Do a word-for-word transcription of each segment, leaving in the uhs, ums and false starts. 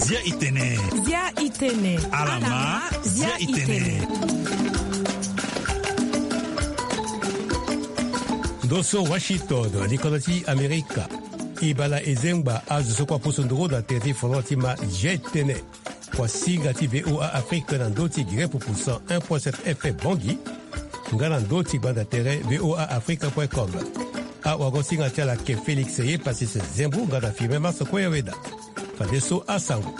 Zia itene. Zia itene. Alama. Zia itene. Ndo so Washington, likolo ti Amerika. E bala e zengba azo so kue aposo nduru na tere ti folon ti ma Zia itene. Kua singa ti VOA Afrique na ndö ti Guinée Pupu cent un point sept F M Bangui, nga na ndö ti gbanda tere VOA Afrique point com. Awago singa ti ala ke Félix ye Pasis Zembu nga na Firmin Maso Koyaweda. Fadeso asango.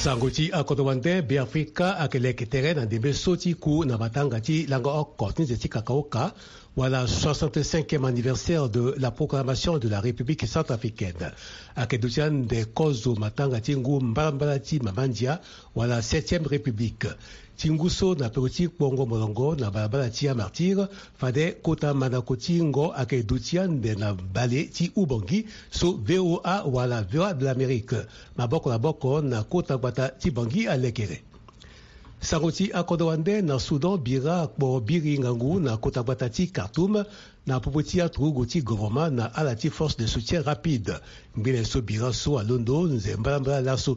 Sango ti akodro wande. Beafrika ayeke leke tere na ndembe so ti ku na matanga ti lango oko ti nze ti kakaoka, wala soixante-cinquième anniversaire de la proclamation de la République centrafricaine. Ayeke duti ande kozo matanga ti ngu mbalambala ti mama ndia, wala septième république. Ti ngu so na peko ti kpongo molongo na balabala ti amartyre, fade kota mandako ti ngo ayeke duti ande na bale ti Ubangui so VOA wala Voix de l'Amérique, maboko na boko na kota gbata ti Bangui alekere. Sango ti akodro wande. Na Soudan, bira akpo biri ngangu na kota gbata ti Khartoum na popo ti aturugu ti govoroma na ala ti force de soutien rapide. Ngbene so bira so alondo nze mbalambala laso.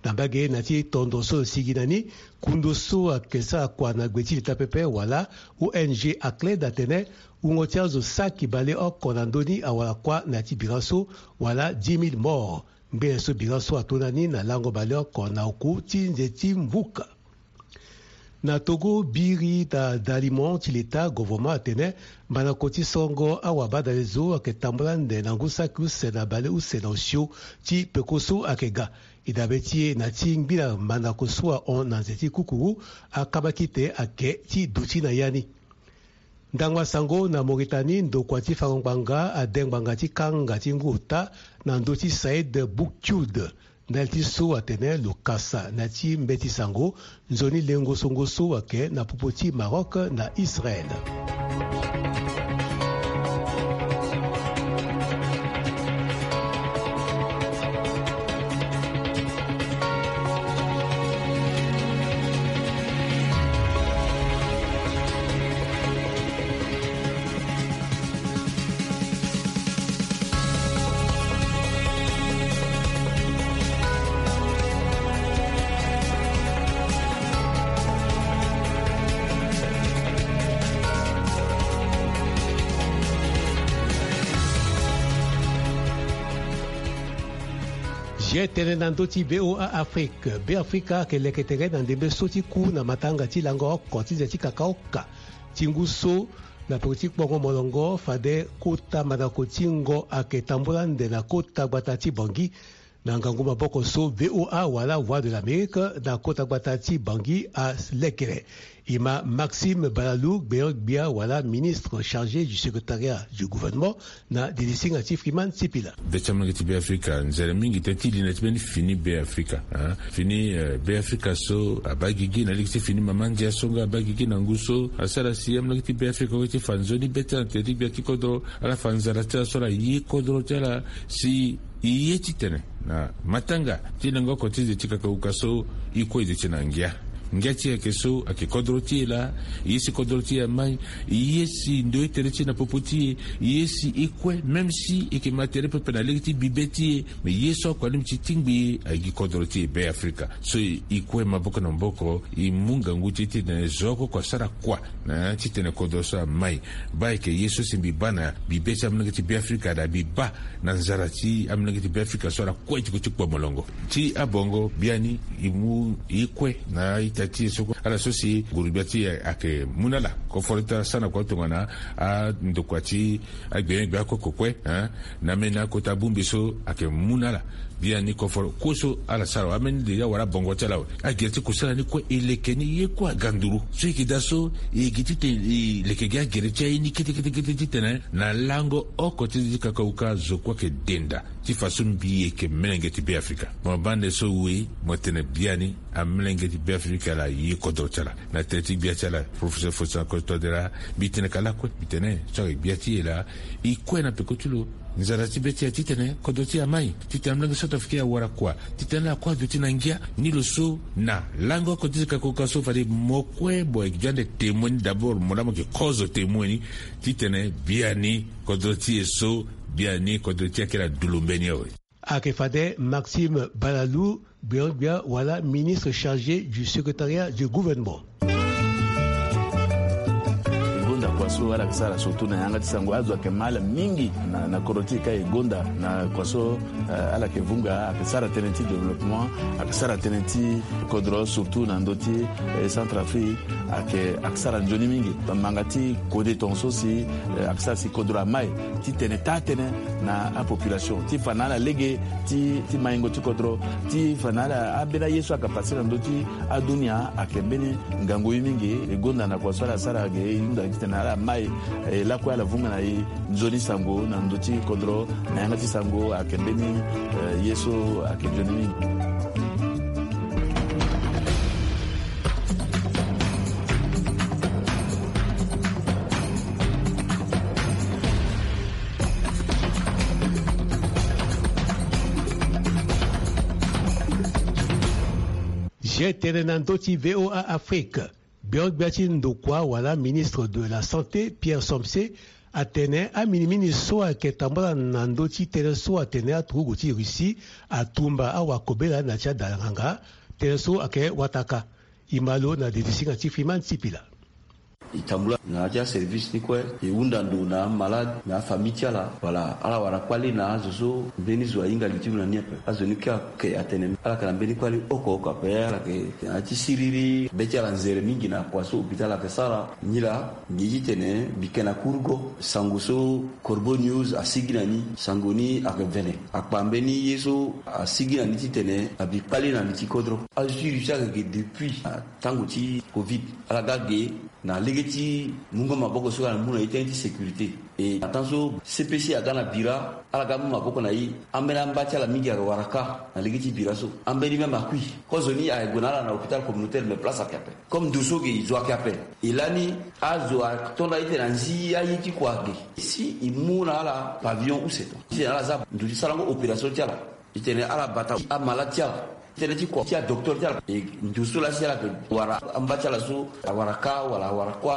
Na mbage na ti tondo so lo sigi na ni, kundo so ayeke sara kua na gbe ti leta pepe wala O N G Acled atene wungo ti azo saki baleoko na ndö ni awara kua na ya ti bira so, wala dix mille morts. Ngbene so bira so ato na ni na lango baleoko na oku ti nze ti mvuka. Na Togo, biri na dalimo ti leta, govoroma atene mandako ti songo awabadale zo ayeke tambula ande na ngu saki use na bale use na osio ti peko so ayeke ga. E dabe ti e na ti ngbila mandako so ahon na nze ti kukuru, akabakite ayeke ti duti na ya ni. Ndangba sango. Na Mauritanie, ndokua ti fango ngbanga ade ngbanga ti kanga ti ngu ota na ndö ti Saïd Boukdjoud. Ndali ti so atene lo kasa na ya ti mbeti sango nzoni lengo songo so ayeke na popo ti Maroc na Israël. Zia tënë na ndö ti VOA Afrique. Beafrika ayeke leke tere na ndembe so ti ku na matanga ti lango oko ti nze ti kakaoka ti ngu so na peko ti kpongo molongo fade kota mandako ti ngo ayeke tambula ande na kota gbata ti Bangui. Na ngangu maboko so VOA wala Voix de l'Amérique na kota gbata ti Bangui alekere. E ma Maxime Balalou, gbeon gbia wala ministre chargé du secrétariat du gouvernement, na dilisinga ti Freeman Sipila. Be ti amolenge ti Beafrika, nzere mingi tënë ti li na ti mbeni fini Beafrika, hein? Fini, eh, Beafrika so abaa gigi na lege ti fini mama ndia so nga abaa gigi na ngu so asara si amolenge ti Beafrika awe ti fa nzoni be ti ala na tere ti gbia ti kodro, ala fa nzara ti ala so ala ye kodro ti ala si e ye titene na matanga ti lango oko ti nze ti kakauka so e kue e duti na ngia. Ngia ti e ayeke so ayeke kodro ti e laa, e ye si kodro ti e amai, e ye si ndo ti tere ti e na popo ti e, e ye si e kue, même si e yeke ma tere pepe na lege ti bibe ti e, me e ye so oko alingbi ti tingbi e, ayeke gi kodro ti e Beafrika. So e kue maboko na maboko, e mu ngangu ti e titene zo oko oko asara kua na ya titene kodro so amai. Baa ayeke ye so si mbi baa na bibe ti amolenge ti Beafrika, na mbi baa na nzara ti amolenge ti Beafrika so ala kue ti kue ti kpo molongo. Ti abongo biani, e mu e kue na a-ita ti e so kue, ala so si nguru-gbia ti e ayeke mu na ala koforo ti ala sara na kua tongana andokua ti agbenyo-gbia oko oko kue, hein, na meni akota bongbi so ayeke mu na ala. Biani koforo kue so ala sara awe, ameni déjà awara bongo ti ala awe. Agere ti kusala ni kue e leke ni ye kue aga nduru. So e yeke daa so e yeke titene e leke gi agere ti aye ni kete kete kete titene na lango oko ti nze ti kakauka zo kue ayeke denda ti fa so mbi yeke melenge ti Beafrika. Mo baa nde so we mo tene biani. Amolenge ti Beafrika laa aye kodro ti ala. Na tere ti gbia ti ala, professeur Faustin Archange Touadéra, mbi tene ka lakue, mbi tene so ayeke gbia ti e laa e kue na peko ti lo. Nzara ti be ti e titene kodro ti e amai, titene amolenge centrafricain awara kua, titene ala kue aduti na ngia. Ni lo so na lango oko ti zeka koka so fade mo kue mo yeke ande témoin ni d'abord, mo laa mo yeke kozo témoin ni, titene biani kodro ti e so, biani kodro ti e ayeke na dulu mbeni awe. Ayeke fade Maxime Balalou, gbia gbia wala ministre chargé du secrétariat du gouvernement. E gonda kua so ala yeke sara surtout na yanga ti sango, azo ayeke ma ala mingi na, na kodro ti e ka e gonda na kua so, eh, ala yeke vunga, ayeke sara tënë ti développement, ayeke sara tënë ti kodro surtout na ndö ti, eh, Centrafrique, ayeke, ayeke sara nzoni mingi. Manga ti kode tongaso si, eh, ayeke sara si kodro amai titene taa tënë na apopulation ti fa na ala lege ti, ti maingo ti kodro, ti fa na ala ambeni aye so ayeke pase na ndö ti adunia ayeke mbeni ngangu ye mingi. E gonda na kua so ala sara ge e hunda titene ala mai, e lakue ala vunga na e nzoni sango na ndö ti kodro, na yanga ti sango ayeke mbeni, eh, ye so ayeke nzoni mingi. Zia tënë na ndö ti V O A Afrique. Gbia gbia ti ndokua wala ministre de la santé, Pierre Somse, atene aminimini so ayeke tambula na ndö ti tënë so atene aturugu ti Russie atumba awakobela na ti adalanganga, tënë so ayeke wataka. E ma lo na dede singa ti Freeman Sipila. E tambula na ya ti aservice ni kue, e hunda ndo na amalade, na afamille ti ala. Voilà, ala wara kpale na azo so mbeni zo ahinga li ti lo na ni ape. Azo ni kue ayeke atene ala yeke na mbeni kpale oko oko ape, ala yeke na ya ti siriri. Be ti ala nzere mingi na kua so hôpital ayeke sara. Nilaa, ngi ye ti tene mbi yeke na kurugo sango so Corbeau News asigi na ni. Sango ni ayeke vene. Akpa mbeni ye so asigi na ni ti tene abi kpale na li ti kodro. Azo ti Russie ayeke ge depuis na tango ti covid. Ala ga ge na lege ti mungo maboko so ala mu na e tënë ti sécurité. E na temps so C P C aga na bira, ala ga mu maboko na e. Ambeni amba ti ala mingi ayeke wara ka na lege ti bira so. Ambeni même akui. Kozoni aye gue na ala na hôpital communautaire, mais place ayeke ape. Comme ndo so ge e zo ayeke ape. E lani azo atonda e tene anzi aye ti kua ge. Si e mu na ala pavillon use to, titene ala za ndo ti sarango opération ti ala. Titene ala bata amalade ti ala. Tënë ti kua ti adocteur ti ala. E ndo so lasi ala yeke wara amba ti ala so awara ka wala awara kuâ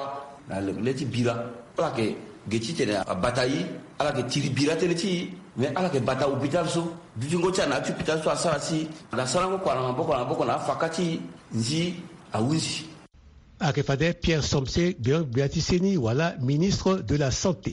na le ti bira. Ala yeke ge titene abata e, ala yeke tiri bira tënë ti e. Mais ala yeke bata hôpital so. Dutingo ti ala na ya ti hôpital so asara si na sarango kua na maboko na maboko na afaka ti e, nzi ahunzi. Ayeke fade Pierre Somse, gbia gbia ti seni wala ministre de la santé.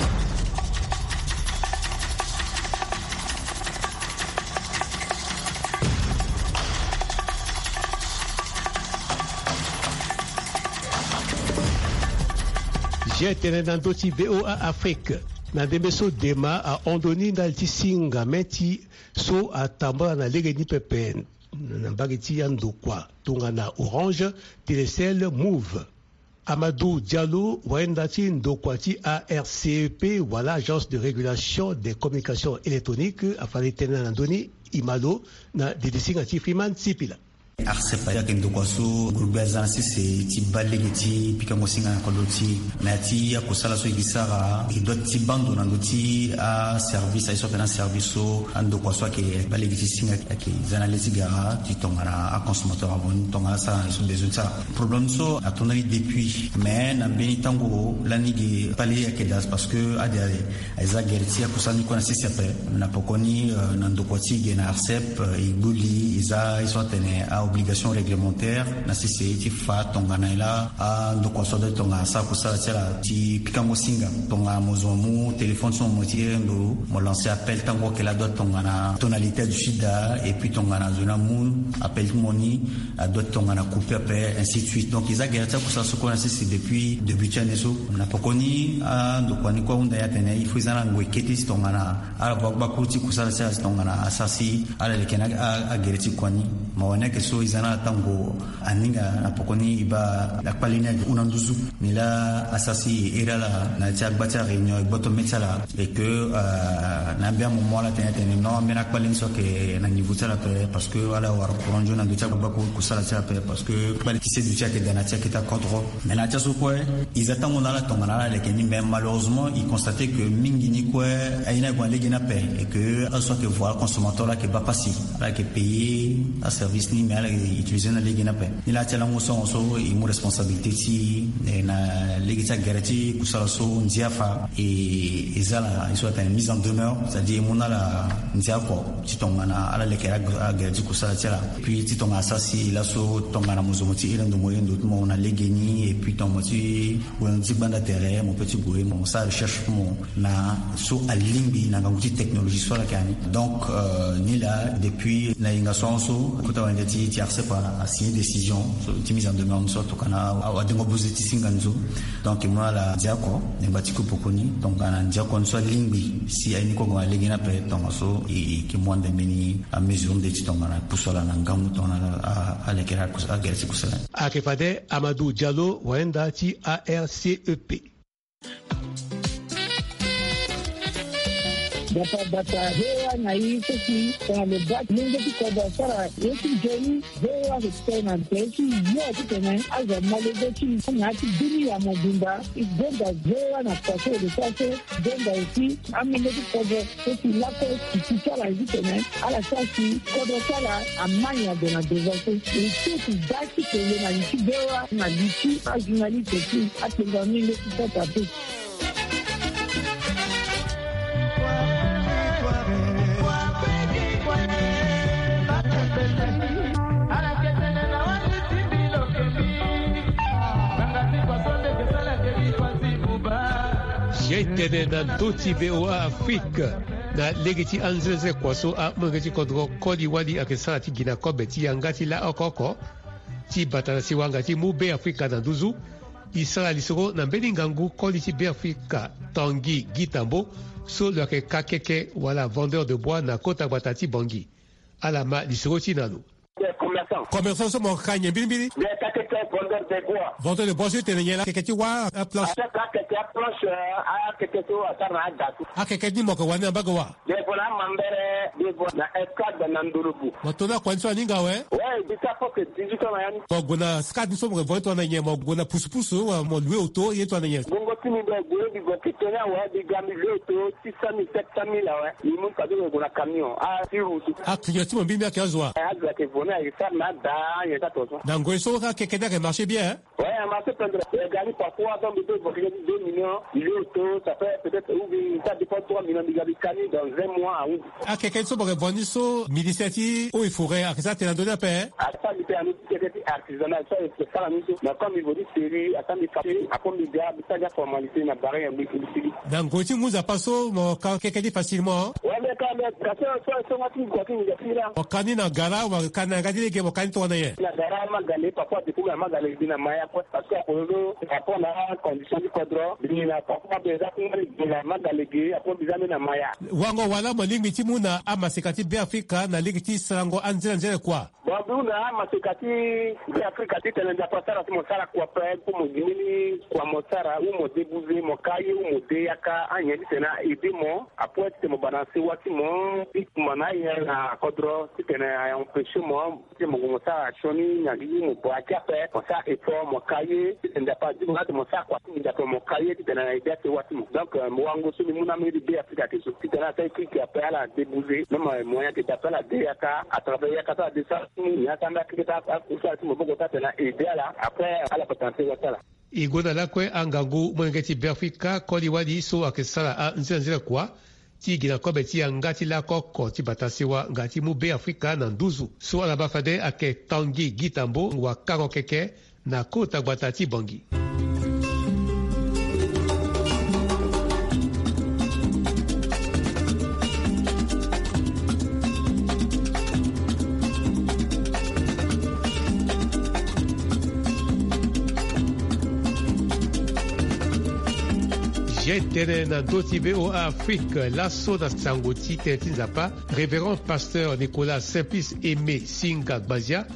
Zia tënë na ndö ti V O A Afrique. Na ndembe so dema ahon ndoni ndali ti singa mê ti so atambula na lege ni pepe na mbage ti andokua tongana Orange, Telecel, Moov. Amadou Diallo, wayenda ti ndokua ti A R C E P wala Agence de Régulation des Communications Électroniques, afani tënë na ndö ni. E ma lo na dede singa ti Freeman Sipila. A R C E P ayeke ndokua so groupe aza na sese ti baa lege ti pikango singa na kodro ti e. Na ya ti akosala so e gi sara, e doit ti baa ndo na ndö ti aservice aye so ayeke na aservice so andokua so ayeke baa lege ti singa ayeke za na le ti gara ti tongana aconsommateur avant ni tongana asara na ye so besoin ti sara. Problème so ato ndani depuis, mais na mbeni tango lani ge kpale ayeke daa parce que ade ade. Eza gere ti akosala ni kue na sese ape. Na poko ni, euh, na ndokua ti e ge na A R C E P, euh, e gbu li, eza ye so atene a-obligation réglementaire na sese ti fa tongana e laa andokua so adoit tongana asara kosala ti ala ti pikango singa. Tongana mo zo mo mu téléphone so mo ti ere ndo, mo lancer appel, tango ayeke laa adoit tongana tonalité du sida, et puis tongana azo ni amu appel ti mo ni, adoit tongana couper ape, ainsi de suite. Donc eza gere ti akosala so kue na sese depuis début ti année so. Na poko ni andokua ni kue ahunda e atene il faut eza na ngoi kete ti tongana ala baa gbakuru ti kosala ti ala ti tongana asara si ala leke na a, agere ti kua ni. Mawa ni ayeke so So e za na ala tango aninga na poko ni e baa akpale ni agi hunda nduzu. Nilaa asara si e iri ala na ya ti agba ti aréunion e gboto me ti ala. Et que na ambeni amoment ala tene atene non ambeni akpale ni so ayeke na niveau ti ala ape, parce que ala wara courant nzoni na ndö ti agba kue kusala ti ala ape, parce que kpale ti seduti ayeke daa na ya ti akete akodro. Mais na ya ti aso kue e za tango na ala tongana ala leke ni, mais malheureusement e constate que mingi ni kue aye ni ague na lege ni ape. Et que ala so ayeke voir consommateur ala yeke baa pasi, ala yeke payer aservice ni, mais ala yeke utiliser na lege ni ape. Nilaa ti alango so ahon so e mu responsabilité ti e na lege ti agere ti kusala so ndia afa. E za ala ye so atene mise en demeure, c'est à dire e mu na ala ndia oko ti tongana ala leke agere ti kusala ti ala. Puis ti tongana asara si laso tongana mo zo mo ti iri ndo mo iri ndo ti mo na lege ni, et puis tongana mo ti gue na ndö ti gbanda tere mo pe ti gue mo sara recherche ti mo na so alingbi na ngangu ti technologie so ala yeke na ni. Donc nilaa depuis na yenga so ahon so kota wande ti ti arcep asigné décision so ti mise en demeure so tokana adengo buze ti singa ni so. Donc e mu na ala ndia oko na ngba ti kupoko ni, donc na ndia oko ni so alingbi si aye ni kue ague na lege ni ape tongaso e yeke mu ande mbeni amesure nde ti tongana e pusu ala na ngangu tongana alekere agere ti kusala ni. Ayeke fade Amadou Diallo, wayenda ti arcep. Bata bata, V O A na e so si tongana lo baa lenge ti kodro asara ye ti nzoni, V O A ayeke tene na tere ti yo titene azo amolenge ti na ya ti dunia mobimba. E gonda V O A na kua so e lo sara so, gonda aussi amolenge ti kodro so si lakue e ti ti ala titene ala sara si kodro ti ala amai ade na devant so. E ti e ti da ti tene na li ti V O A na li ti ajournaliste ti akpengba ni leti sata pe. Ye tene na ndö ti V O A Afrique na lege ti anzenzekua so amolenge ti kodro koli wali ayeke sara ti gi na kobe ti yanga ti laoko oko ti bata na siwa nga ti mu Be Afrika na nduzu. E sara lisoro na mbeni ngangu koli ti Be Afrika Tanguy Guy Tambo so lo yeke kakeke wala vendeur de bois na kota gbata ti Bangui. Ala ma lisoro ti na lo. Commerçant so mo ka nyen mbirimbiri? Vendeur de bois so e tene nyen la? Akeke ti wâ aplanche. Akeke ti wâ aplanche. Akeke so asara na ada so. Akeke ni mo yeke wani na mbage wa? Devant na Mambere, devant na Escad na Ndolobu. Mo to na kua ni so aninga awe? Ouais, dix-huit ans na ya ni. Mo gue na Escad ni so mo yeke vo ni tongana nyen? Mo gue na pusu pusu wala mo loue auto ye tongana nyen? Bongo ti mi be gue mbi gue kete ni awe, mbi ga mbi loue auto six cent mille, sept cent mille awe. Mbi mu fade mbi gue na camion. Ah, ti roue so. Ah, client ti mo mbirimbiri ayeke azo wa? Eh, azo ayeke vo ni ayeke sara na ada nyen ti ato so. Na ngoi so akeke ni ayeke marché bien, hein? Ouais, a marché pendere. E ga ni parfois, donc, mbi peut évoquer deux millions, il est auto, ça fait peut-être, ou bien, ça dépend, trois millions, mbi ga mbi ka ni dans un mois, ah oui. Akeke ni so mo yeke vo ni so, ministère ti eaux et forêts ayeke sara tene na ndö ni ape, hein? Asara mbi tene na ndö ti keke ti artisanat, so ayeke sara ni so. Mais comme mbi vo ni série, asara mbi ka ni, après mbi ga, mbi sara ni aformalité na barre ya mbi, mbi sigi. Na ngoi ti ngu nzapa so, mo ka keke ni facilement? Ouais, mais quand même, parce que so, so, nga ti mbi kua ti mbi ga ti mbi la. Mo ka ni na gara, mo ka ni na yanga ti lege, mo ka ni tongana nyen? Na gara Magale, parfois, depuis na Magale, mbi na Maya, quoi. Parce que akololo, par rapport na condition ti kodro, mbi na parfois mbi za kungba ni mbi na Magale ge, après mbi za mbi na Maya. Wango wala mo lingbi ti mu na amaseka ti Be Afrika na lege ti sarango anzere anzere kua? Bon, mbi hunda amaseka ti Be Afrika titene Nzapa asara ti mo sara kua ape, pour mo gi mbeni kua mo sara, ou mo de buze, mo ka ye, ou mo de yaka, anyen titene a aider mo, après titene mo bana sewa ti mo, ti kuma na aye na kodro, titene a empêcher mo, ti mo gue mo sara sioni na gi mo bua ti ape, mo sara effort, mo ka ye, titene Nzapa azi mo na tene mo sara kua ti mo Nzapa mo ka ye, titene na aider asewa ti mo. Donc, euh, mo wango so mbi mu na mbeni Be Afrika ti so. Titene asara keke ape ala de buze. Même, euh, moyen ayeke daa ape ala de yaka, à travers yaka so ala de sara ti mu, ni asara mbeni akeke ti akusala ti maboko ti atene na aider ala. Après, ala bata na sewa ti ala. E gue na lakue angangu molenge ti Be Afrika koli wali so ayeke sara anzere anzere kua ti gi na kobe ti yanga ti lakoko ti bata sewa nga ti mu Be Afrika na nduzu. So ala baa fade ayeke Tanguy Guy Tambo, wakango keke na kota gbata ti Bangui. Ye tene na ndö ti V O A Afrique, laso na sango ti tene ti Nzapa, Révérend Pasteur Nicolas Simplice Aimé Singa Gbazia,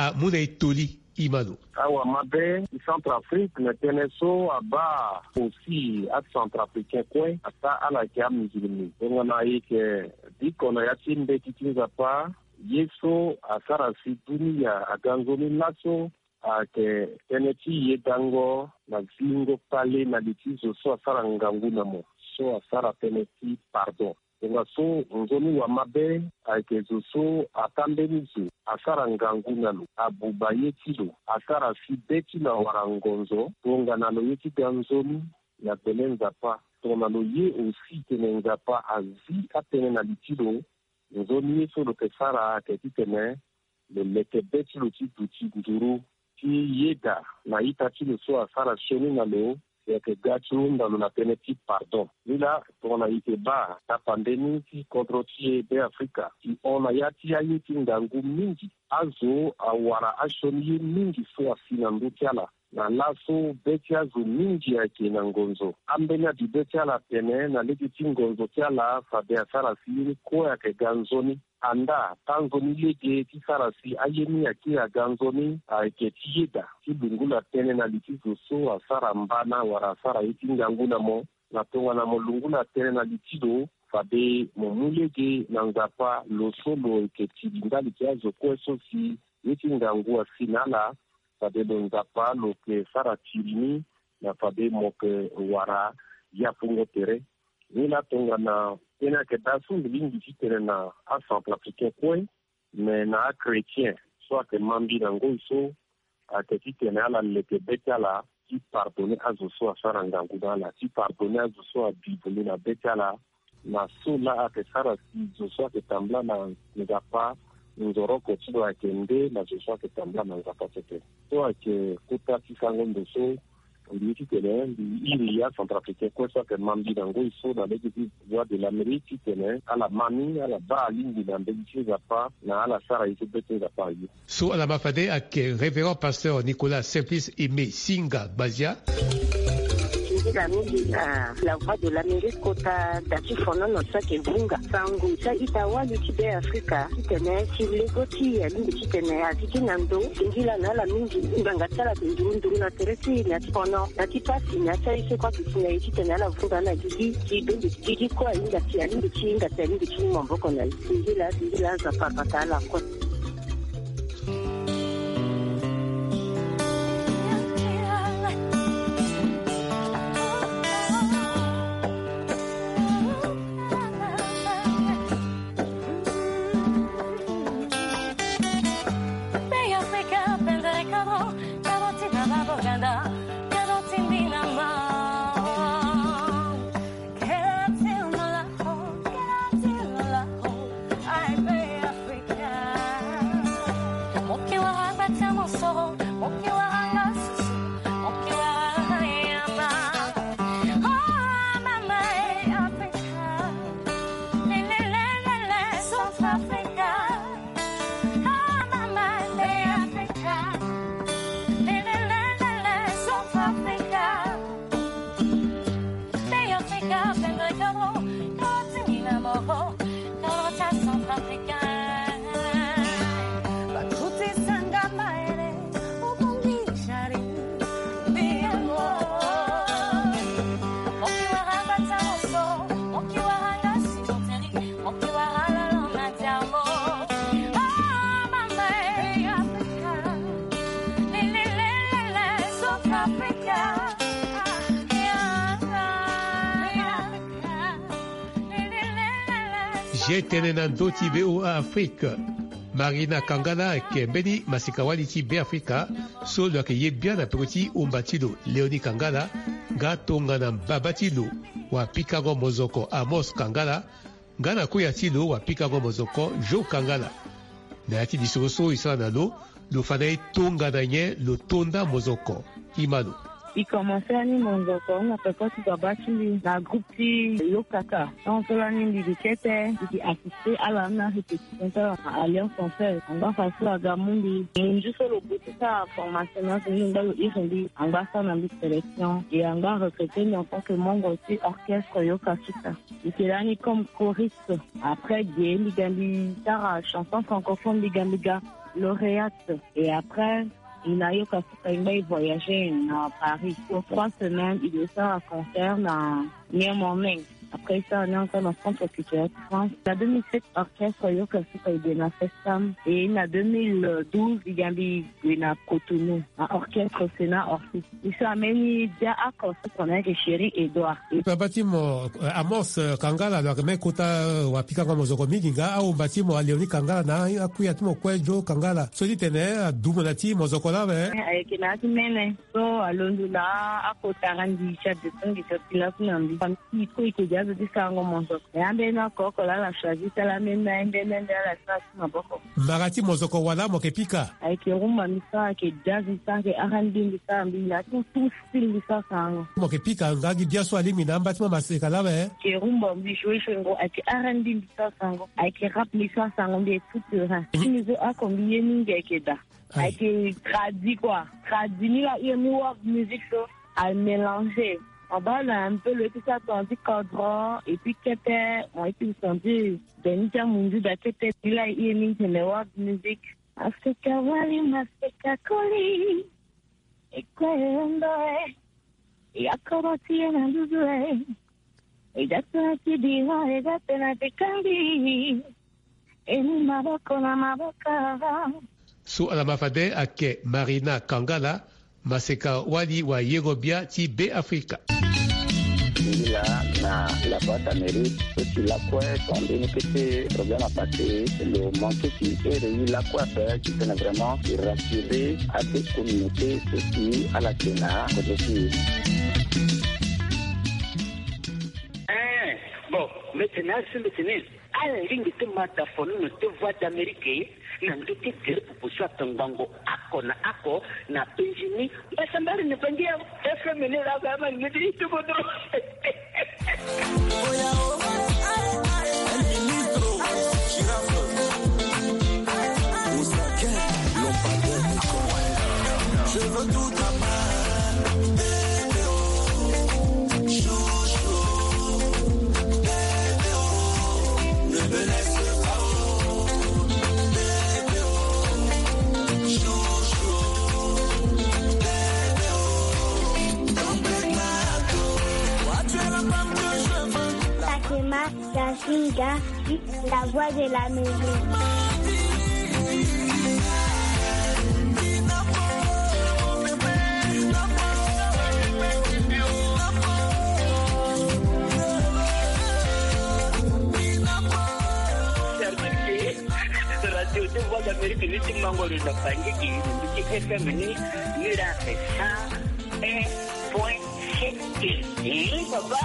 amu na e toli. Imano. Awa mabe ti Centrafrique na tënë so abaa aussi aCentrafricain kue asara ala yeke amusulmi. Tongana e yeke biko na ya ti mbeti ti Nzapa, ye so asara si dunia aga nzoni laso ayeke tënë ti yedango na zingo kpale na li ti zo so asara ngangu na mo, so asara tënë ti pardon. Tongaso nzoni wa mabe ayeke zo so atambeni zo asara ngangu na lo, abuba ye ti lo, asara si be ti lo awara ngonzo, tongana lo ye ti ga nzoni na gbele Nzapa. Tongana lo ye aussi tene Nzapa azi atënë na li ti lo, nzoni ye so lo yeke sara ayeke titene lo leke be ti lo ti duti nduru ti yeda na ita ti lo so asara sioni na lo, si ayeke ga ti hunda lo na tënë ti pardon. Ni laa tongana e yeke baa tapande ni ti kodro ti e Beafrika si hon na ya ti aye ti ngangu mingi. Azo awara asioni ye mingi so asi na ndö ti ala. Na laso be ti azo mingi ayeke na ngonzo. Ambeni abi be ti ala atene na lege ti ngonzo ti ala fade asara si ye ni kue ayeke ga nzoni. Andaa tanzoni lege ti sara si aye ni akiri aga nzoni ayeke ti yeda ti lungula tënë na li ti zo so asara mbana wala asara ye ti ngangu na mo. Na tongana mo lungula tënë na li ti lo, fade mo mu lege na Nzapa lo so lo yeke tiri ndali ti azo kue so si ye ti ngangu asi na ala. Fade lo Nzapa lo yeke sara tiri ni na fade mo yeke wara yapungo tere. Ni laa tongana tënë ayeke daa so mbi lingbi titene na aCentrafricain kue, me na achrétien so ayeke ma mbi na ngoi so ayeke titene ala leke be ti ala ti pardonner azo so asara ngangu na ala, ti pardonner azo so abi vundu na be ti ala. Na so laa ayeke sara si zo so ayeke tambula na Nzapa nzoroko ti lo ayeke nde na zo so ayeke tambula na Nzapa tete. So ayeke kota ti sango ndo so mbi ye titene mbi iri aCentrafricain kue so ayeke ma mbi na ngoi so na lege ti Voix de l'Amérique titene ala ma ni, ala baa alingbi na mbeni ti Nzapa na ala sara ye so be ti Nzapa aye. So ala ma fade ayeke Révérend Pasteur Nicolas Simplice Aimé Singa Gbazia. Singila mingi na La Voix de l'Amérique kota da ti fonono so ayeke vunga sango ti a-ita wali ti Beafrika titene si lego ti e alingbi titene azi ti na ndo. Singila na ala mingi. Ngbanga ti ala ayeke nduru nduru na tere ti e na ya ti fono na ti pasi na ya ti aye so kue ayeke si na e titene ala vunga na gigi ti bembe ti gigi kue ahinga si alingbi ti hinga si alingbi ti mu maboko na e. Singila singila Nzapa abata ala kue. Zia tënë na ndö ti V O A Afrique. Marina Kangala ayeke mbeni masika-wali ti Beafrika so lo yeke ye bian na peko ti umba ti lo Léonie Kangala, nga tongana mbaba ti lo wapikango mozoko Amos Kangala, nga na koya ti lo wapikango mozoko Jo Kangala. Na ya ti lisoro so e sara na lo, lo fa na e tongana nyen lo to nda mozoko. Imano. Mbi komanse ani mozoko na peko ti baba ti mbi na groupe ti Yokaka. Tant so lani mbi gi kete, mbi gi assister ala na répétition ti ala na Alliance Française. Angba façon aga mu mbi. Munzu so lo gue ti sara formation na azo ni, angba lo iri mbi, angba asara na mbi sélection. E angba arecruter mbi en tant que membre ti orchestre Yokasuka. Mbi yeke lani comme choriste. Après ge mbi ga mbi sara chanson francophone, mbi ga mbi ga Lauréate. Et après, il a eu Kasuka, il a voyagé na Paris. Pour trois semaines, il est à concert na New Morning. Après ça, on est encore dans le centre culturel de France. Na deux mille sept, orchestre Yoka Suka, il est na Festam. Et na deux mille douze, il y a eu na Cotonou, un orchestre Sénat Orsi. Biso ameni dia ako so tongana yeke Chéri Edouard. Papa ti mo, eh, Amos, eh, Kangala, lo yeke me kota, eh, wapikango mozoko mingi nga, ahomba ti mo Léonie Kangala na akuya ti mo kue Joe Kangala. So ti tene, eh, adumo na ti mozoko lawe. Eh, ayeke na ya ti mene. So alondo na akota randi ti adetongi ti apila ti na mbi. Famille ti ko eke dia zo ti sarango mozoko. Ya mbeni oko oko la ala choisi ti ala mene, mbeni mbeni ala ti na ti maboko. Mara ti mozoko wala mo yeke pika? Ayeke rumba mbi sara, ayeke jazz mbi sara, ayeke R and B mbi sara, mbi na tout, tout style mbi sara sarango. Mo yeke pika nga gi bia so alingbi na amba ti mo maseka lawe? Ayeke rumba mbi joue joue ngo, ayeke R and B mbi sara sarango, ayeke rap mbi sara sarango, mbi est tout terrain. Mhm. Ti mbi zo ako mbi ye mingi ayeke daa. Aïe. Ayeke tradi quoi. Tradi ni la hire ni world music so. Amélanger. On va là un peu le tout ça, on dit codron, et puis kete, on a été entendu. Benita Mundu da kete, il a aimé le world music. Africa Wali, Maseka Koli. Et quoi, on doit, et à comment tu es dans le doigt. E da tena ti bira, e da tena ti kangi. E ni maboko na maboko. So ala ma fade ayeke Marina Kangala, maseka wali wa yero bia ti Be Afrika. Ila na la boîte Amérique, so ti lakue, ton mbeni kete problème à passer, lo manqué ti ere i lakue ape, ti tene vraiment i rassurer ade communauté, so ti ala tena kozo ti. Eh, bon, mbi tene asi mbi tene. Ala lingbi ti ma da fono na deux voix d'Amérique na ndö ti gere proposition atongbango ako na ako na penzi ni. Mbasambari na bangi ya F M ni la ba ma ni ti tuko do. Yasinga, la voix de la maison. Radio de Voix d'Amérique, ni ti mango lo na bangi ki, ni ti F M ni, ni la fait cent un point sept. Eh, papa.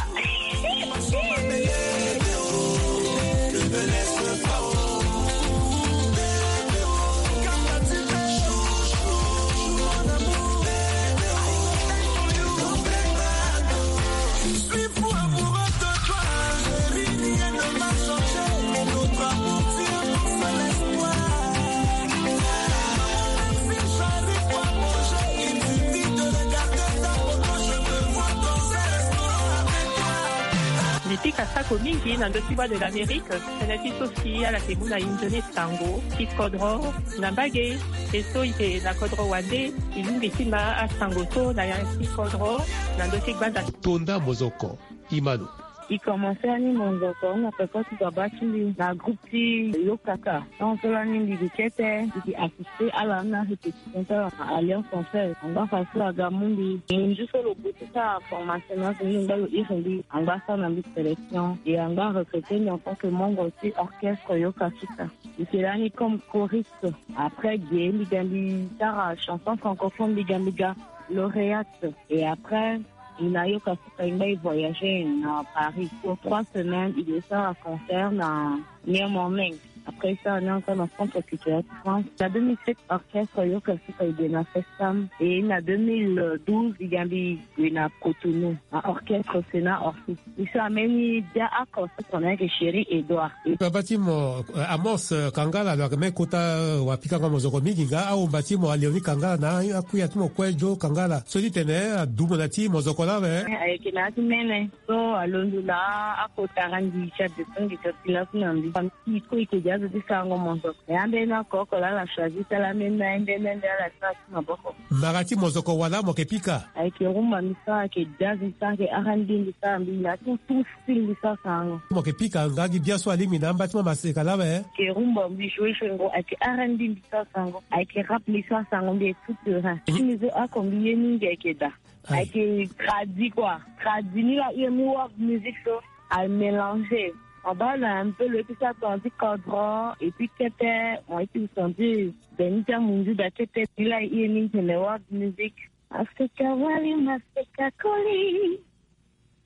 Mbi pika sako mingi na ndö ti Voix de l'Amérique. Tënë ti so si ala yeke mu na inzo ni sango ti kodro na mbage. E so e yeke na kodro wande, e lingbi ti ma asango so na ya ti kodro na ndö ti gbanda. Tonda mozoko. Imano. E commencé ani mozoko na peko ti baba ti mbi na groupe ti Yokaka. Tant so lani mbi gi kete, mbi gi assisté ala na répétition ti ala na Alliance Française. Angba fa so aga mu mbi. Munzu so lo gue ti sara formation na so ni angba lo iri mbi. Angba sara na mbi sélection. E angba recruté mbi en tant que membre ti orchestre Yokasuka. Mbi yeke lani comme choriste. Après ge mbi ga mbi sara chanson francophone mbi ga mbi ga lauréate. Et après, il a eu Kasuka, il a voyagé na Paris. Pour trois semaines, il est à concert na New Morning. Après ça, on est encore dans le centre culturel de France. Na deux mille sept, orchestre Yoka Suka, il est na Festam. Et na deux mille douze, il y a eu na Cotonou, un orchestre Sénat Orsi. Biso ameni dia ako so tongana yeke Chéri Edouard. Papa ti mo, eh, Amos, eh, Kangala, lo yeke me kota, eh, wapikango mozoko mingi nga, ahomba ti mo Léonie Kangala na akuya ti mo kue Joe Kangala. So ti tene, eh, adumo na ti mozoko lawe. Eh, ayeke na ya ti mene. So alondo na akota randi ti adetongi ti apila ti na mbi. Famille ti ko eke dia Azo ti sango mozoko. E ambeni oko oko laa ala choisi ti ala ambeni na ye, ambeni na ye, ala ti ala ti maboko. Mara ti mozoko wala mo yeke pika? Ayeke rumba mbi sara, ayeke jazz mbi sara, ayeke R and B mbi sara, mbi na tout, tout style mbi sara sango. Mo yeke pika nga gi bia so alingbi na amba ti mama seka laa awe? Ayeke rumba mbi joue sango, ayeke R and B mbi sara sango, ayeke rap mbi sara sango, mbi est tout terrain. Mhm. Ti mbi so oko mbi ye mingi ayeke da. Aïe. Ayeke tradi quoi. Tradi ni la, ye mu world music so. Amélanger. Abaa na un peu lo ye ti sara tongana ti kodro et puis kete, mo ye ti sentir beni ti amunzu da kete. Ni la ye ni tene world music. Maseka wali, maseka koli.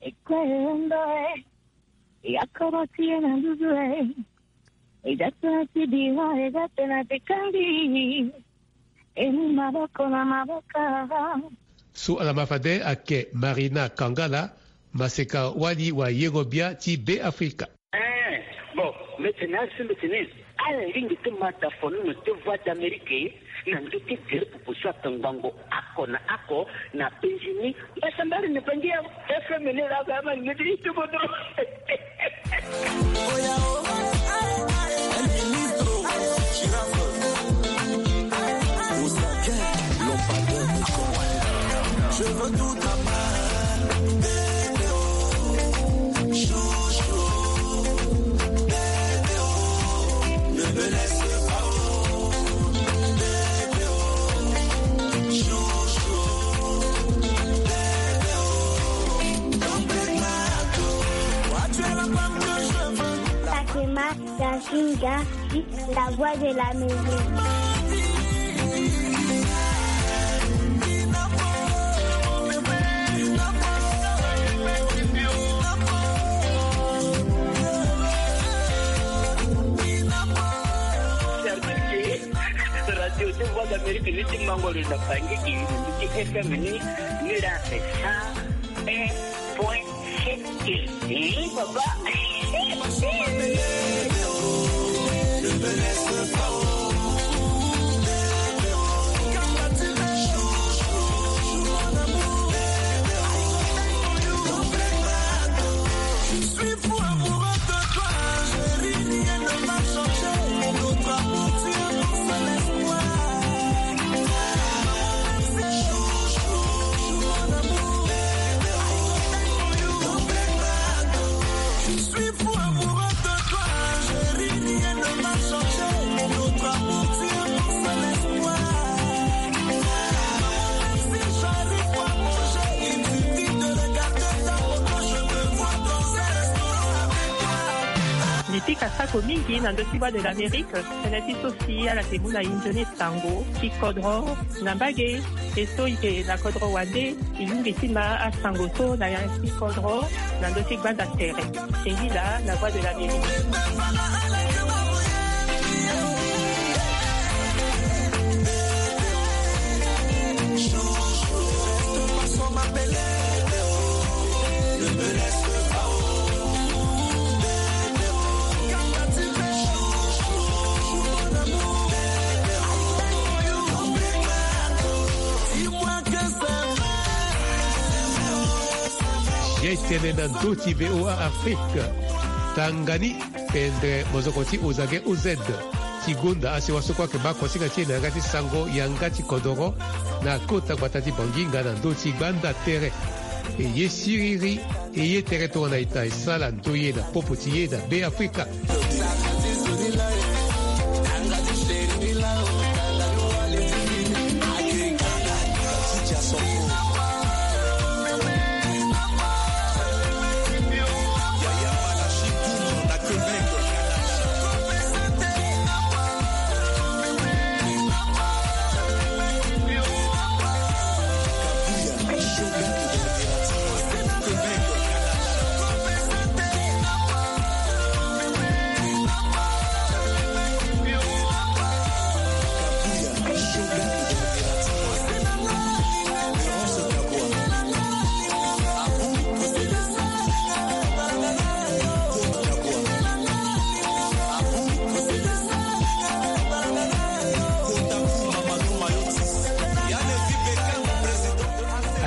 E kue e ndo e. E akoro ti e na nduzu e. E da tena ti bira, e da tena ti kandi. E mu maboko na maboko. So ala ma fade ayeke Marina Kangala, maseka wali wayengo-bia ti Beafrika. Eh, bon, mbi tene asi, mbi tene ala lingbi ti ma da fonono ti Voix d'Amérique na ndö ti tere popo so atongbango oko na oko na penzi ni. Mbasambari ni bangi ya F M ni la ga ma ngedi ti bodo. Je veux tout à part. Bébé, oh, chouchou. Bébé, oh, ne me laisse pas, oh. Bébé, oh, chouchou. Bébé, oh, complète ma peau. Toi, tu es la femme que je veux. Fatima Yasinga, la voix de l'Amérique. Radio ti Voix d'Amérique ni ti mango lo na Bangui, ti F M ni, ni la cent un point sept. Eh, papa. Je suis fou amoureux de toi, chérie, rien ne va changer. Notre amour tient pour seul espoir. Merci, chouchou, mon amour. Je suis fou amoureux de toi, chérie, rien ne va changer. Notre amour tient pour seul espoir. Même si j'arrive pas à manger, il suffit de regarder ta photo, je me vois dans un restaurant avec toi. Mbi pika sako mingi na ndö ti Voix de l'Amérique. Tënë ti so si ala yeke mu na e nzoni sango ti kodro na mbage. E so e yeke na kodro wande, e lingbi ti ma asango so na ya ti kodro na ndö ti gbanda tere. Singila na Voix de l'Amérique. Ye tene na ndö ti V O A Afrique. Tanga ni pendere mozoko ti Ozage O Z ti gonda asiwa so kue ayeke baa kosinga ti e na yanga ti sango yanga ti kodoro na kota gbata ti Bangi nga na ndö ti gbanda tere. E ye siriri, e ye tere tongana ita e sala ndoye na popo ti e na Beafrika.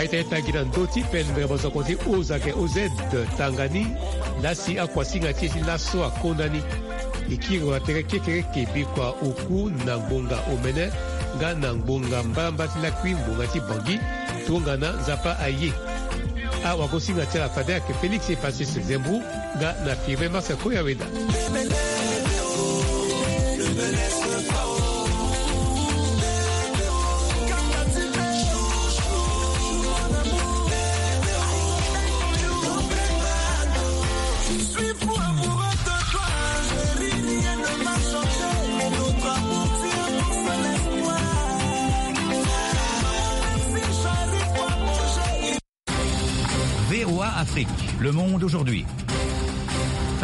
Aita e tangi na ndö ti pendere mozoko ti Ozake O Z tanga ni, lasi akuasinga ti e ti laso akona ni. E kiri wa tere kekereke bikua oku na ngbonga omene nga na ngbonga mbalambala ti lakui ngbonga ti Bangui. Tongana Nzapa aye, awagosinga ti ala fade ayeke Félix Epasis Zembou nga na Firmin Marcel Koyaweda. V O A Afrique, le monde aujourd'hui.